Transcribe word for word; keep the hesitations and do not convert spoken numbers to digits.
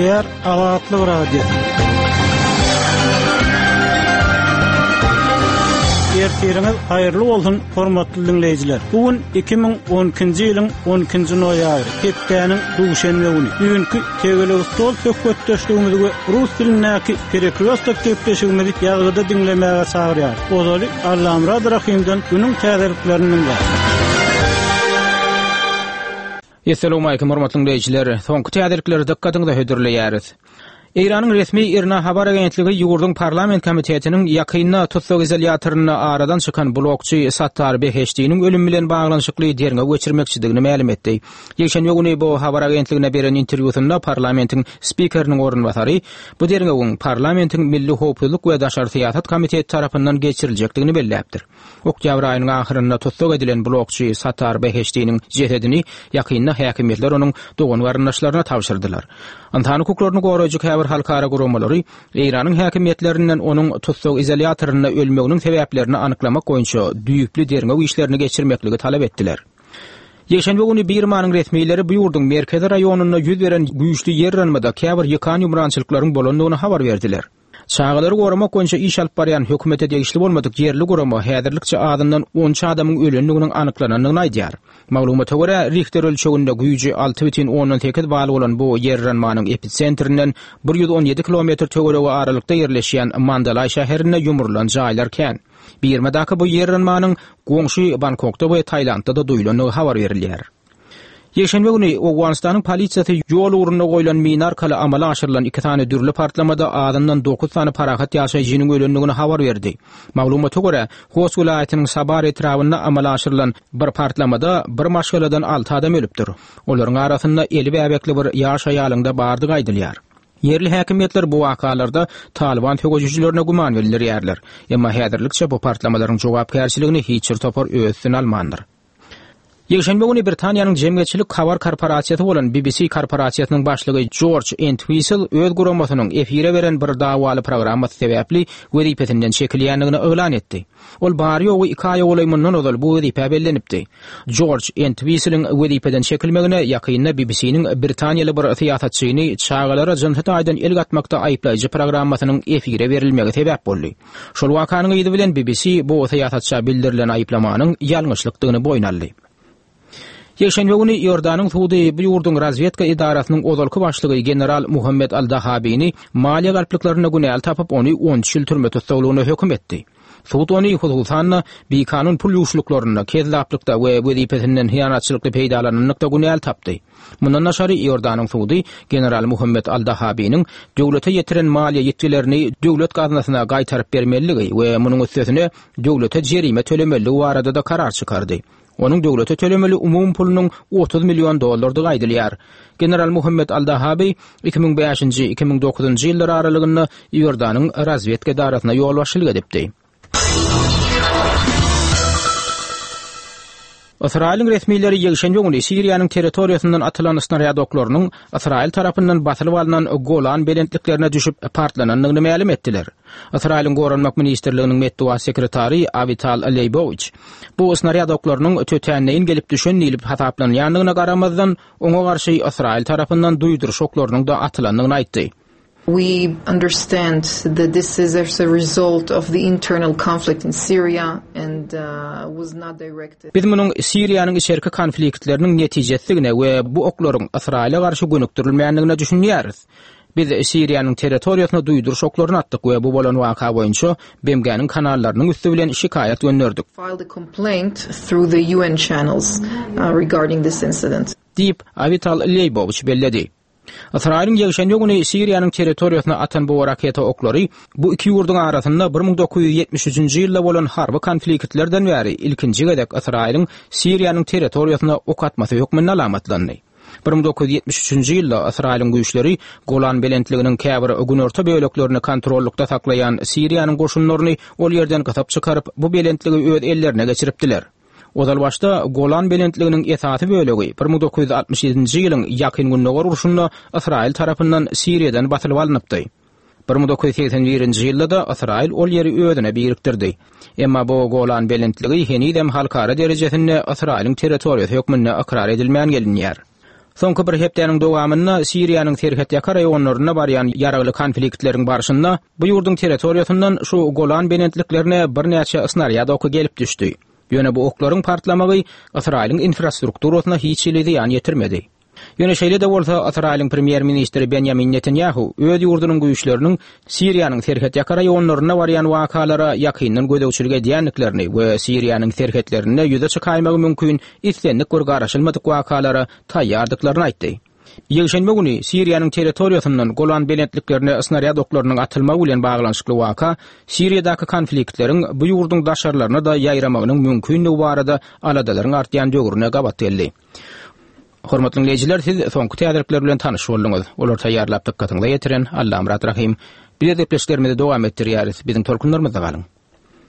Gepleýär Azatlyk Radiosy. Ertiriňiz haýyrly bolsun, hormatly dinleýjiler. Bu gün iki müň on ikinji ýylyň on ikinji noýabry, hepdäniň duşenbe güni. Düýnki tegelek stol söhbetdeşligimizi we rus dilindäki perekrýostok gepleşigimizi ýazgyda diňlemäge çagyrýar. Ozaly Allamurad Rahimden günüň täzeliklerini dinläň. Esselamu aleýkum hormatly dinleýjiler. Soňky täzelikleri dykgatyňyza hödürleýäris. Eýranyň resmi IRNA habar agentligi ýurduň parlament komitetiniň ýakynda tussag izolýatorynda aradan çykan blokçy Sattar Beheştiniň ölümi bilen baglanyşykly derňew geçirmekçidigini mälim etdi. Ýekşenbe güni bu habar agentligine beren interwýusynda parlamentiň spikeriniň orunbasary bu derňewiň parlamentiň Milli Howpsuzlyk we Daşary Syýasat Komiteti tarapyndan geçiriljekdigini belläpdir. Oktýabr aýynyň ahyrynda tussag edilen blokçy Sattar Beheştiniň jesedini ýakynda häkimiýetler onuň dogan garyndaşlaryna tabşyrdylar. Ynsan hukuklaryny goraýjy käbir halkara guramalary Eýranyň häkimiýetlerinden onuň tussag izolýatorynda ölmeginiň sebäplerini anyklamak boýunça düýpli derňew işlerini geçirmekligi talap etdiler. Ýekşenbe güni Birmanyň resmileri bu ýurduň merkezi raýonynda ýüz beren güýçli ýer yranmada käbir ýykan ýumrançylyklaryň bolandygyny habar berdiler. Çagalary goramak boýunça iş alyp barýan hökümete degişli bolmadyk ýerli gurama häzirlikçe azyndan on üç adamyň ölendiginiň anyklanandygyny aýdýar. Maglumata görä, Richter ölçeginde güýji alty bütin ondan sekiz bal bolan bu ýer yranmanyň episentrinden bir ýüz on ýedi kilometr töweregi aralykda ýerleşýän Mandalay şäherinde ýumrulan jaýlar kän. Birmadaky bu ýer yranmanyň goňşy Bangkokda we Tailandda-da duýulandygy habar berilýär. Ýekşenbe güni Owganystanyň polisiýasy ýol ugrunda goýlan mina arkaly amala aşyrylan iki sany dürli partlamada azyndan dokuz sany parahat ýaşaýjynyň ölendigini habar berdi. Maglumata görä, Host welaýatynyň Sabar etrabynda amala aşyrylan bir partlamada bir maşgaladan alty adam ölüpdir. Olaryň arasynda eli bäbekli bir ýaş aýalyň da bardygy aýdylýar. Ýerli häkimiýetler bu wakalarda Taliban söweşijilerine güman bildirýärler. Emma häzirlikçe bu partlamalaryň jogapkärçiligini hiç bir topar öz üstüne almandyr. Ýekşenbe güni Britaniýanyň jemgyýetçilik habar korporasiýasy bolan B B C korporasiýasynyň başlygy George Entwistle öz guramasynyň efire beren bir dawaly programmasy sebäpli wezipesinden çekilýändigini yglan etdi. Ol bary-ýogy iki aýa golaý mundan ozal bu wezipä bellenipdi. George Entwistle'iň wezipeden çekilmegine ýakynda B B C-niň britaniýaly bir syýasatçyny çagalara jynsy taýdan el gatmakda aýyplaýjy programmasynyň efire berilmegi sebäp boldy. Şol wakanyň yzy bilen B B C bu syýasatça bildirilen aýyplamanyň ýalňyşlykdygyny boýun aldy. Ýekşenbe güni Iordanyň sudy bu ýurduň razvedka edarasynyň ozalky başlygy general Muhammed Al-Dahabini maliýe galplyklarynda günäli tapyp, ony on üç ýyl türme tussaglygyna höküm etdi. Sud ony hususan-da bikanun pul ýuwuşlyklarynda, kezzaplykda we wezipesinden hyýanatçylykly peýdalananlykda günäli tapdy. Mundan daşary Iordanyň sudy general Muhammed Al-Dahabiniň döwlete ýetiren maliýe ýitgilerini döwlet gaznasyna gaýtaryp bermeliligi we munuň üstesine döwlete jerime tölemeliligi barada-da karar çykardy. Onuň döwlete tölemeli umum pulunyň otuz million dollardygy aýdylýar. General Muhammed Al-Dahabi iki müň bäşinji, iki müň dokuzynjy ýyllar aralygynda Iordanyň razvedka edarasyna ýolbaşçylyk edipdi. Ysraýylyň resmileri ýekşenbe güni Siriýanyň territoriýasyndan atylan snarýad oklarynyň Ysraýyl tarapyndan basylyp alnan Golan belentliklerine düşüp partlanandygyny mälim etdiler. Ysraýylyň Goranmak Ministrliginiň metbugat sekretary Avital Leýbowiç bu snarýad oklarynyň tötänleýin gelip düşen diýlip hasaplanýandygyna garamazdan oňa garşy Ysraýyl tarapyndan duýduryş oklarynyň da atylandygyny aýtdy. We understand that this is as a result of the internal conflict in Syria and, uh, was not directed. Biz munuň Siriýanyň içerki konfliktleriniň netijesidigine we bu oklaryň Ysraýyla garşy gönükdirilmändigine düşünýäris. Biz Siriýanyň territoriýasyna duýduryş oklaryny atdyk we bu bolan waka boýunça B M G-niň kanallarynyň üsti bilen şikaýat gönderdik. Filed a complaint through the U N channels, uh, regarding this incident. Diýip, Avital Leýbowiç belledi. Ysraýylyň ýekşenbe güni Siriýanyň territoriýasyna atan bu raketa oklary bu iki ýurduň arasynda bir müň dokuz ýüz ýetmiş üçünji ýylda bolan harby konfliktlerden bäri ilkinji gezek Ysraýylyň Siriýanyň territoriýasyna ok atmasy hökmünde alamatlandy. Bir müň dokuz ýüz ýetmiş üçünji ýylda Ysraýylyň güýçleri Golan belentliginiň käbir günorta böleklerini kontrollukda saklaýan Siriýanyň goşunlaryny ol ýerden gysyp çykaryp, bu belentligi öz ellerine geçiripdiler. Ozal başda Golan belentliginiň esasy bölegi bir müň dokuz ýüz altmyş ýedinji ýylyň ýakyn gündogar urşunda Ysraýyl tarapyndan Siriýadan basylyp alnypdy. Bir müň dokuz ýüz segsen birinji ýylda-da Ysraýyl ol ýeri özüne birikdirdi. Emma bu Golan belentligi henizem halkara derejesinde Ysraýylyň territoriýasy hökmünde ykrar edilmän gelinýär. Soňky bir hepdäniň dowamynda Siriýanyň serhetýaka raýonlarynda barýan ýaragly konfliktleriň barşynda bu ýurduň territoriýasyndan şu Golan belentliklerine birnäçe snarýad oky gelip düşdi. Ýöne bu oklaryň partlamagy Ysraýylyň infrastrukturasyna hiç hili zyýan ýetirmedi. Ýöne şeýle-de bolsa Ysraýylyň premýer-ministri Benjamin Netanyahu öz ýurdunyň güýçleriniň Siriýanyň serhetýaka raýonlarynda barýan wakalara ýakyndan gözegçilik edýändiklerini we Siriýanyň serhetlerinde ýüze çykaýmagy mümkin islendik bir garaşylmadyk wakalara taýýardyklaryny aýtdy. Ýekşenbe güni Siriýanyň territoriýasyndan Golan belentliklerine snarýad oklarynyň atylmagy bilen baglanyşykly waka Siriýadaky konfliktleriň bu ýurduň daşarlaryna-da ýaýramagynyň mümkinligi barada aladalaryň artýan döwrüne gabat geldi. Hormatly dinleýjiler, siz soňky täzelikler bilen tanyş bolduňyz. Olar taýýarlap dykgatyňyza ýetiren Allamyrat Rahym. Biz gepleşiklerimizi dowam etdirýäris. Biziň tolkunlarymyzda galyň.